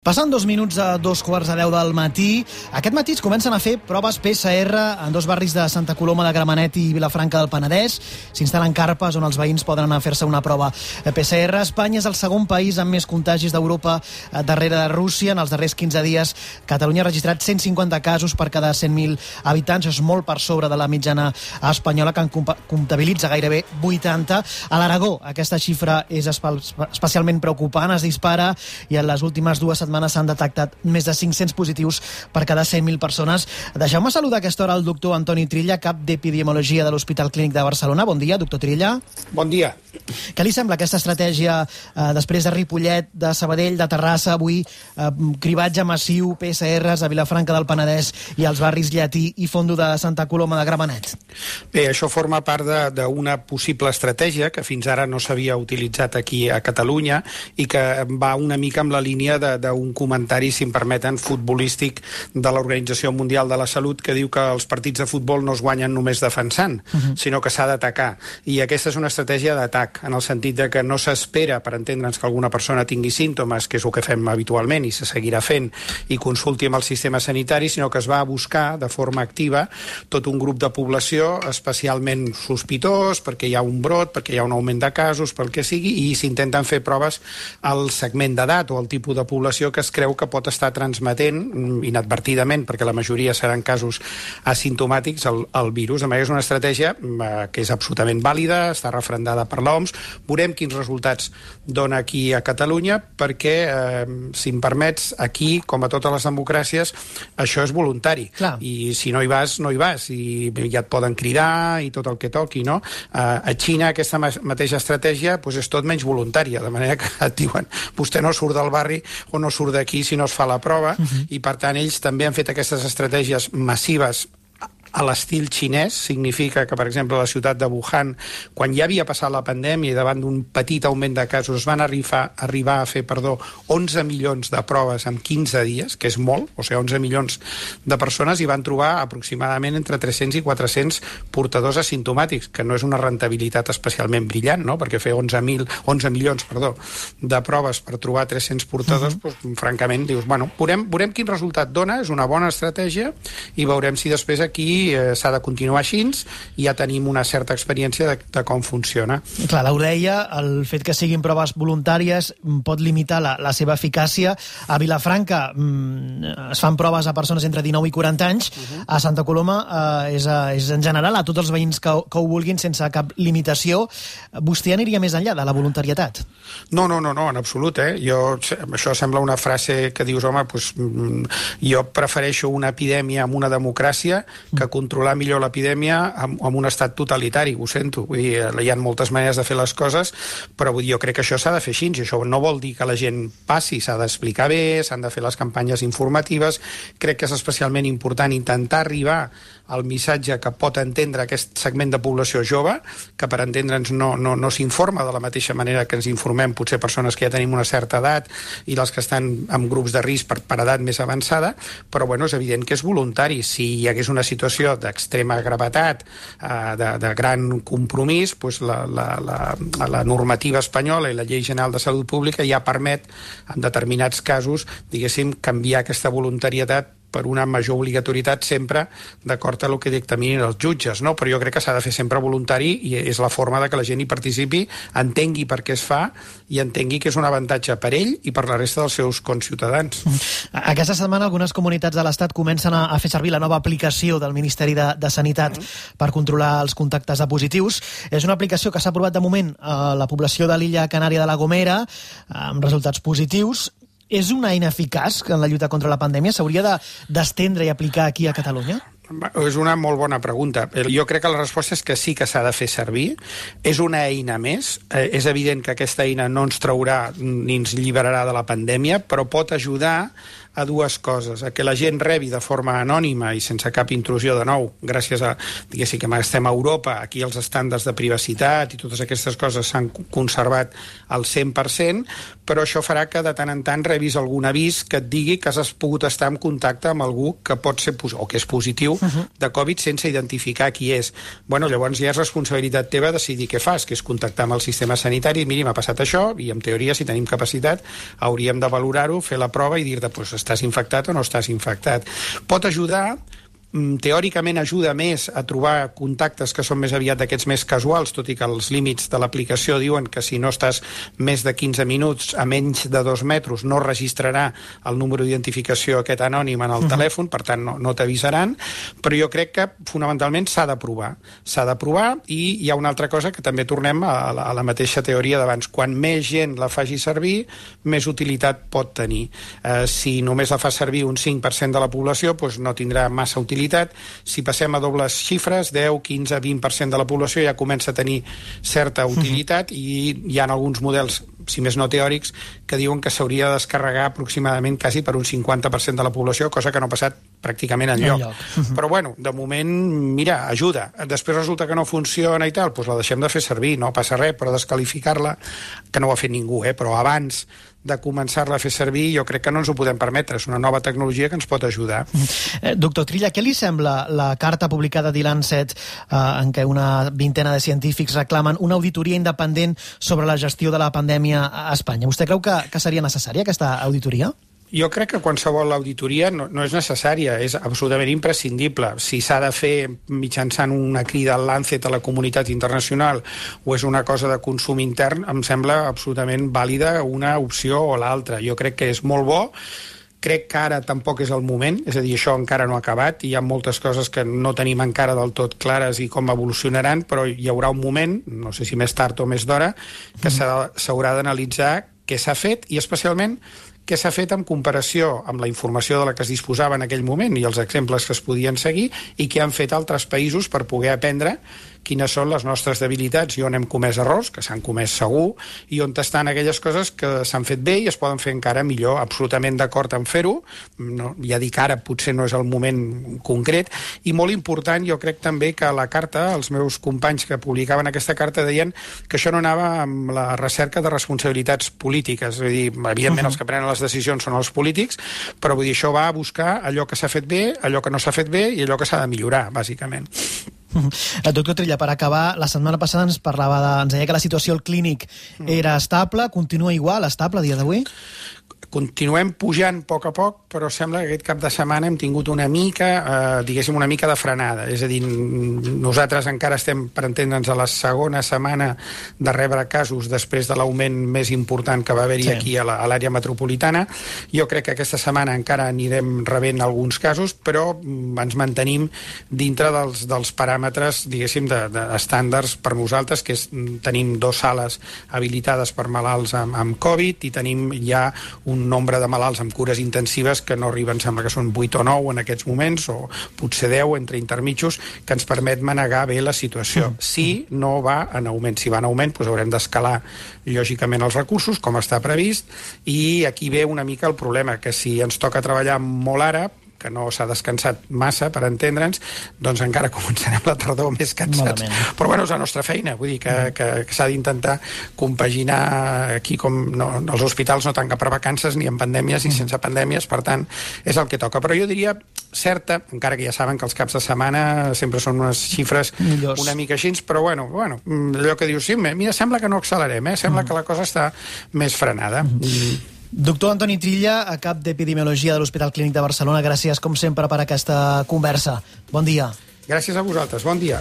Passant 2 minuts a 2:15 del matí, aquest matí es comencen a fer proves PCR en 2 barris de Santa Coloma de Gramenet i Vilafranca del Penedès. S'instal·len carpes on els veïns poden anar a fer-se una prova PCR. Espanya és el segon país amb més contagis d'Europa darrere de Rússia. En els darrers 15 dies, Catalunya ha registrat 150 casos per cada 100.000 habitants. És molt per sobre de la mitjana espanyola, que en comptabilitza gairebé 80. A l'Aragó, aquesta xifra és especialment preocupant. Es dispara i en les últimes 2 setmanes s'han detectat més de 500 positius per cada 100.000 persones. Deixeu-me saludar a aquesta hora el doctor Antoni Trilla, cap d'Epidemiologia de l'Hospital Clínic de Barcelona. Bon dia, doctor Trilla. Bon dia. Què li sembla aquesta estratègia després de Ripollet, de Sabadell, de Terrassa, avui cribatge massiu, PCRs a Vilafranca del Penedès i als barris Llatí i Fondo de Santa Coloma de Gramenet? Bé, això forma part d'una possible estratègia que fins ara no s'havia utilitzat aquí a Catalunya i que va una mica amb la línia d'un comentari, si em permeten, futbolístic de l'Organització Mundial de la Salut, que diu que els partits de futbol no es guanyen només defensant, sinó que s'ha d'atacar. I aquesta és una estratègia d'atac, en el sentit de que no s'espera, per entendre'ns, que alguna persona tingui símptomes, que és el que fem habitualment i se seguirà fent, i consulti amb el sistema sanitari, sinó que es va a buscar de forma activa tot un grup de població especialment sospitós, perquè hi ha un brot, perquè hi ha un augment de casos, pel que sigui, i s'intenten fer proves al segment d'edat o al tipus de població que es creu que pot estar transmetent inadvertidament, perquè la majoria seran casos asimptomàtics, el virus. De manera, és una estratègia que és absolutament vàlida, està refrendada per l'OMS. Veurem quins resultats dona aquí a Catalunya, perquè, si em permets, aquí, com a totes les democràcies, això és voluntari. Clar. I si no hi vas, no hi vas. I ja et poden cridar i tot el que toqui, no? A Xina aquesta mateixa estratègia és tot menys voluntària, de manera que et diuen vostè no surt del barri o no surt d'aquí si no es fa la prova, i per tant ells també han fet aquestes estratègies massives a l'estil xinès. Significa que, per exemple, a la ciutat de Wuhan, quan ja havia passat la pandèmia i davant d'un petit augment de casos, es van arribar a fer 11 milions de proves en 15 dies, que és molt, o sigui, 11 milions de persones, i van trobar aproximadament entre 300 i 400 portadors asimptomàtics, que no és una rentabilitat especialment brillant, no? Perquè fer 11 milions de proves per trobar 300 portadors, francament, dius, bueno, veurem quin resultat dona, és una bona estratègia, i veurem si després aquí s'ha de continuar així, i ja tenim una certa experiència de com funciona. Clar, ho deia, el fet que siguin proves voluntàries pot limitar la seva eficàcia. A Vilafranca es fan proves a persones entre 19 i 40 anys, a Santa Coloma és en general a tots els veïns que ho vulguin sense cap limitació. Vostè aniria més enllà de la voluntarietat? No, en absolut, això sembla una frase que dius, home, jo prefereixo una epidèmia amb una democràcia que controlar millor l'epidèmia amb un estat totalitari, ho sento. Vull dir, hi ha moltes maneres de fer les coses, però jo crec que això s'ha de fer així, i això no vol dir que la gent passi, s'ha d'explicar bé, s'han de fer les campanyes informatives. Crec que és especialment important intentar arribar al missatge que pot entendre aquest segment de població jove, que per entendre'ns no s'informa de la mateixa manera que ens informem potser persones que ja tenim una certa edat i les que estan en grups de risc per edat més avançada, però és evident que és voluntari. Si hi hagués una situació d'extrema gravetat, de gran compromís, la normativa espanyola i la Llei General de Salut Pública ja permet, en determinats casos, diguéssim, canviar aquesta voluntarietat per una major obligatorietat sempre d'acord amb el que dictaminin els jutges, no? Però jo crec que s'ha de fer sempre voluntari, i és la forma de que la gent hi participi, entengui per què es fa i entengui que és un avantatge per ell i per la resta dels seus conciutadans. Aquesta setmana algunes comunitats de l'Estat comencen a fer servir la nova aplicació del Ministeri de Sanitat per controlar els contactes de positius. És una aplicació que s'ha aprovat de moment a la població de l'illa Canària de la Gomera, amb resultats positius. És una eina eficaç en la lluita contra la pandèmia? S'hauria d'estendre i aplicar aquí a Catalunya? És una molt bona pregunta. Jo crec que la resposta és que sí que s'ha de fer servir. És una eina més. És evident que aquesta eina no ens traurà ni ens alliberarà de la pandèmia, però pot ajudar a dues coses: a que la gent rebi de forma anònima i sense cap intrusió, de nou, gràcies a, diguéssim, que estem a Europa, aquí els estàndards de privacitat i totes aquestes coses s'han conservat al 100%, però això farà que de tant en tant rebis algun avís que et digui que has pogut estar en contacte amb algú que pot ser o que és positiu de Covid sense identificar qui és. Bueno, llavors ja és responsabilitat teva decidir què fas, que és contactar amb el sistema sanitari, miri, m'ha passat això, i en teoria, si tenim capacitat, hauríem de valorar-ho, fer la prova i dir-te, pues, estàs infectat o no estàs infectat. Pot ajudar, teòricament ajuda més a trobar contactes que són més aviat d'aquests més casuals, tot i que els límits de l'aplicació diuen que si no estàs més de 15 minuts a menys de 2 metres no registrarà el número d'identificació aquest anònim en el telèfon, per tant no t'avisaran, però jo crec que fonamentalment s'ha de provar. S'ha de provar i hi ha una altra cosa que també tornem a la mateixa teoria d'abans. Quan més gent la faci servir, més utilitat pot tenir. Si només la fa servir un 5% de la població, doncs no tindrà massa utilitat. Si passem a dobles xifres, 10, 15, 20% de la població ja comença a tenir certa utilitat i hi ha alguns models, si més no teòrics, que diuen que s'hauria de descarregar aproximadament quasi per un 50% de la població, cosa que no ha passat pràcticament enlloc. Però bueno, de moment, mira, ajuda. Després resulta que no funciona i tal, doncs la deixem de fer servir, no passa res, però desqualificar-la, que no ho ha fet ningú, però abans de començar-la a fer servir, jo crec que no ens ho podem permetre. És una nova tecnologia que ens pot ajudar. Doctor Trilla, què li sembla la carta publicada a The Lancet en què una vintena de científics reclamen una auditoria independent sobre la gestió de la pandèmia a Espanya? Vostè creu que seria necessària aquesta auditoria? Jo crec que qualsevol auditoria no és necessària, és absolutament imprescindible. Si s'ha de fer mitjançant una crida al Lancet a la comunitat internacional o és una cosa de consum intern, em sembla absolutament vàlida una opció o l'altra. Jo crec que és molt bo. Crec que ara tampoc és el moment, és a dir, això encara no ha acabat, i hi ha moltes coses que no tenim encara del tot clares i com evolucionaran, però hi haurà un moment, no sé si més tard o més d'hora, que s'haurà d'analitzar què s'ha fet i especialment què s'ha fet en comparació amb la informació de la que es disposava en aquell moment i els exemples que es podien seguir i què han fet altres països per poder aprendre quines són les nostres debilitats i on hem comès errors, que s'han comès segur, i on estan aquelles coses que s'han fet bé i es poden fer encara millor. Absolutament d'acord en fer-ho, ja dic ara, potser no és el moment concret, i molt important, jo crec també que la carta, els meus companys que publicaven aquesta carta deien que això no anava amb la recerca de responsabilitats polítiques, és a dir, evidentment els que prenen les decisions són els polítics, però vull dir, això va a buscar allò que s'ha fet bé, allò que no s'ha fet bé i allò que s'ha de millorar, bàsicament. Doctor Trilla, per acabar, la setmana passada ens deia que la situació al clínic era estable, continua igual, estable a dia d'avui? Continuem pujant a poc, però sembla que aquest cap de setmana hem tingut una mica, diguéssim, una mica de frenada. És a dir, nosaltres encara estem, per entendre'ns, a la segona setmana de rebre casos després de l'augment més important que va haver-hi aquí a l'àrea metropolitana. Jo crec que aquesta setmana encara anirem rebent alguns casos, però ens mantenim dintre dels paràmetres, diguéssim, d'estàndards per nosaltres, que és tenim 2 sales habilitades per malalts amb Covid i tenim ja un nombre de malalts amb cures intensives que no arriben, sembla que són 8 o 9 en aquests moments, o potser 10 entre intermitjos, que ens permet manegar bé la situació. Si no va en augment. Si va en augment, doncs haurem d'escalar lògicament els recursos, com està previst, i aquí ve una mica el problema, que si ens toca treballar molt ara, que no s'ha descansat massa, per entendre'ns, doncs encara començarem la tardor més cansats. Malament. Però bueno, és la nostra feina, vull dir que s'ha d'intentar compaginar aquí, com els hospitals no tanquen per vacances ni en pandèmies ni sense pandèmies, per tant, és el que toca. Però jo diria certa, encara que ja saben que els caps de setmana sempre són unes xifres millors, una mica així, però bueno, allò que dius, sí, mira, sembla que no accelerem, sembla que la cosa està més frenada. Doctor Antoni Trilla, a cap d'Epidemiologia de l'Hospital Clínic de Barcelona, gràcies com sempre per aquesta conversa. Bon dia. Gràcies a vosaltres, bon dia.